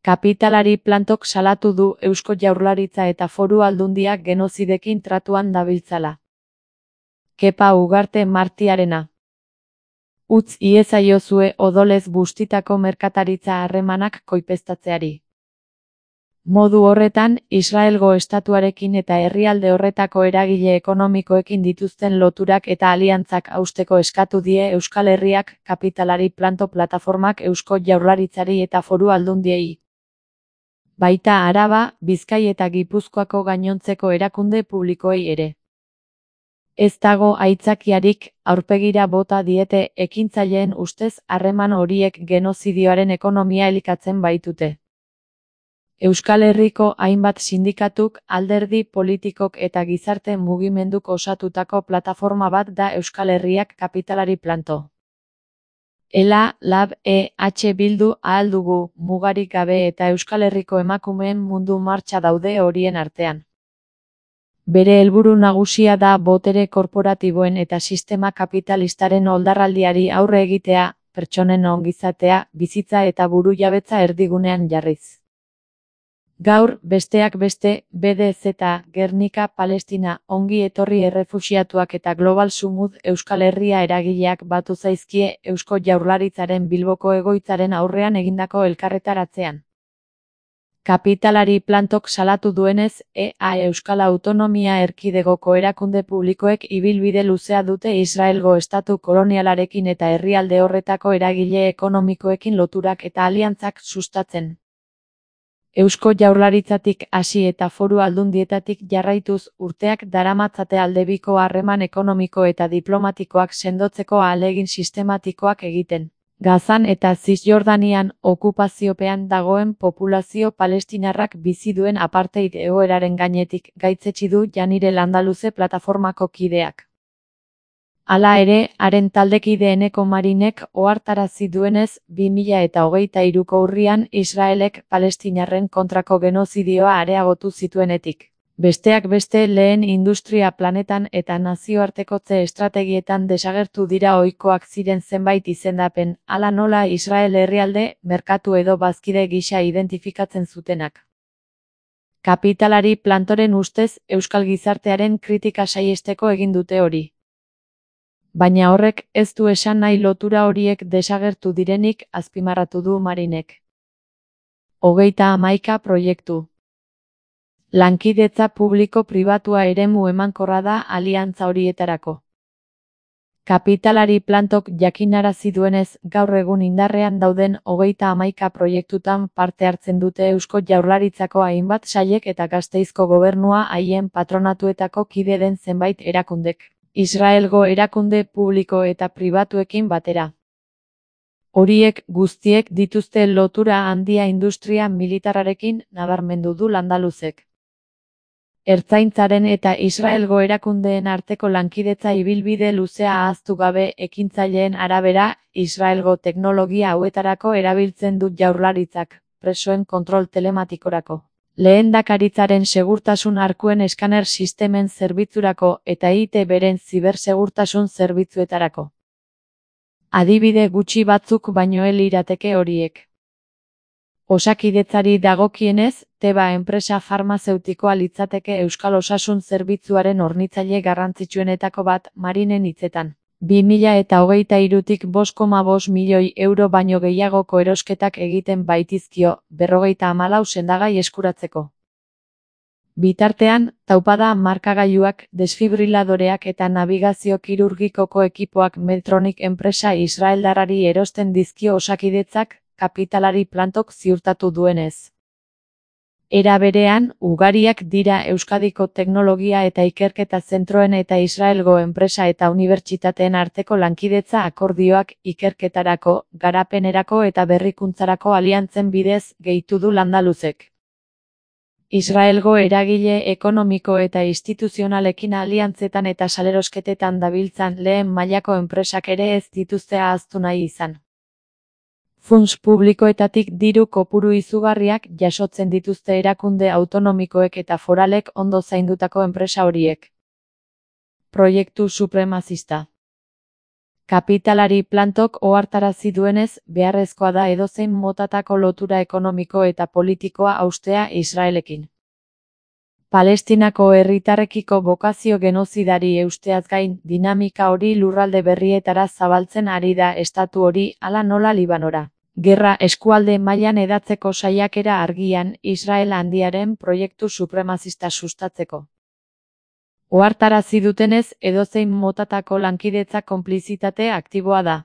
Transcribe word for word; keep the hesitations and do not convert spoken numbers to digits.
Kapitalari plantok salatu du Eusko Jaurlaritza eta Foru Aldundiak genozidekin tratuan dabiltzala. Kepa Ugarte Martiarena. Utz iezaiozue odolez bustitako merkataritza harremanak koipeztatzeari. Modu horretan, Israelgo estatuarekin eta herrialde horretako eragile ekonomikoekin dituzten loturak eta aliantzak hausteko eskatu die Euskal Herriak kapitalari planto plataformak Eusko Jaurlaritzari eta Foru Aldundiei. Baita Araba, Bizkai eta Gipuzkoako gainontzeko erakunde publikoei ere. Ez dago aitzakiarik, aurpegira bota diete ekintzaileen ustez harreman horiek genozidioaren ekonomia elikatzen baitute. Euskal Herriko hainbat sindikatuk, alderdi politikok eta gizarte mugimenduk osatutako plataforma bat da Euskal Herriak kapitalari planto. Ela, Lab, E H Bildu, Ahal Dugu, Mugarik Gabe eta Euskal Herriko emakumeen mundu martxa daude horien artean. Bere helburu nagusia da botere korporatiboen eta sistema kapitalistaren oldarraldiari aurre egitea, pertsonen ongizatea, bizitza eta burujabetza erdigunean jarriz. Gaur, besteak beste, B D Z, Gernika, Palestina, ongi etorri errefuxiatuak eta Global Sumud Euskal Herria eragileak batu zaizkie Eusko Jaurlaritzaren Bilboko egoitzaren aurrean egindako elkarretaratzean. Kapitalari plantok salatu duenez, E A Euskal Autonomia Erkidegoko erakunde publikoek ibilbide luzea dute Israelgo estatu kolonialarekin eta herrialde horretako eragile ekonomikoekin loturak eta aliantzak sustatzen. Eusko Jaurlaritzatik hasi eta Foru Aldundietatik jarraituz urteak daramatzate aldebiko harreman ekonomiko eta diplomatikoak sendotzeko ahalegin sistematikoak egiten. Gazan eta Zisjordanian okupaziopean dagoen populazio palestinarrak bizi duen apartheid egoeraren gainetik gaitzetsi du Janire Landaluze plataformako kideak. Hala ere, haren taldekide Eneko Marinek ohartarazi duenez, bi mila eta hogeita hiruko urrian Israelek palestinarren kontrako genozidioa areagotu zituenetik. Besteak beste lehen industria planetan eta nazioartekotze estrategietan desagertu dira ohikoak ziren zenbait izendapen, hala nola Israel herrialde, merkatu edo bazkide gisa identifikatzen zutenak. Kapitalari plantoren ustez, euskal gizartearen kritika saihesteko egin dute hori. Baina horrek ez du esan nahi lotura horiek desagertu direnik, azpimarratu du Marinek. Hogeita hamaika proiektu. Lankidetza publiko-pribatua eremu emankorra da aliantza horietarako. Kapitalari plantok jakinarazi duenez, gaur egun indarrean dauden hogeita hamaika proiektutan parte hartzen dute Eusko Jaurlaritzako hainbat sailek eta Gasteizko gobernua haien patronatuetako kide den zenbait erakundek. Israelgo erakunde publiko eta pribatuekin batera. Horiek guztiek dituzte lotura handia industria militarrarekin, nabarmendu du Landaluzek. Ertzaintzaren eta Israelgo erakundeen arteko lankidetza ibilbide luzea ahaztu gabe ekintzaileen arabera, Israelgo teknologia hauetarako erabiltzen du Jaurlaritzak, presoen kontrol telematikorako. Lehendakaritzaren segurtasun arkuen eskaner sistemen zerbitzurako eta I T Beren zibersegurtasun zerbitzuetarako. Adibide gutxi batzuk baino ez lirateke horiek. Osakidetzari dagokienez, Teba enpresa farmazeutikoa litzateke euskal osasun zerbitzuaren hornitzaile garrantzitsuenetako bat, Marinen hitzetan. bi mila eta hogeita hirutik bost koma bost milioi euro baino gehiagoko erosketak egiten baitizkio, berrogeita hamalau sendagai eskuratzeko. Bitartean, taupada markagailuak, desfibriladoreak eta nabigazio kirurgikoko ekipoak Medtronic enpresa israeldarrari erosten dizkio Osakidetzak, kapitalari plantok ziurtatu duenez. Era berean, ugariak dira Euskadiko teknologia eta ikerketa zentroen eta Israelgo enpresa eta unibertsitateen arteko lankidetza akordioak ikerketarako, garapenerako eta berrikuntzarako aliantzen bidez gehitu du Landaluzek. Israelgo eragile ekonomiko eta instituzionalekin aliantzetan eta salerosketetan dabiltzan lehen mailako enpresak ere ez dituzte ahaztu nahi izan. Funts publikoetatik diru kopuru izugarriak jasotzen dituzte erakunde autonomikoek eta foralek ondo zaindutako enpresa horiek. Proiektu supremazista. Kapitalari plantok ohartarazi duenez, beharrezkoa da edozein motatako lotura ekonomiko eta politikoa haustea Israelekin. Palestinako herritarrekiko bokazio genozidari eusteaz gain, dinamika hori lurralde berrietara zabaltzen ari da estatu hori, hala nola Libanora. Gerra eskualde mailan hedatzeko saiakera argian, Israel handiaren proiektu supremazista sustatzeko. Ohartarazi dutenez, edozein motatako lankidetza konplizitate aktiboa da.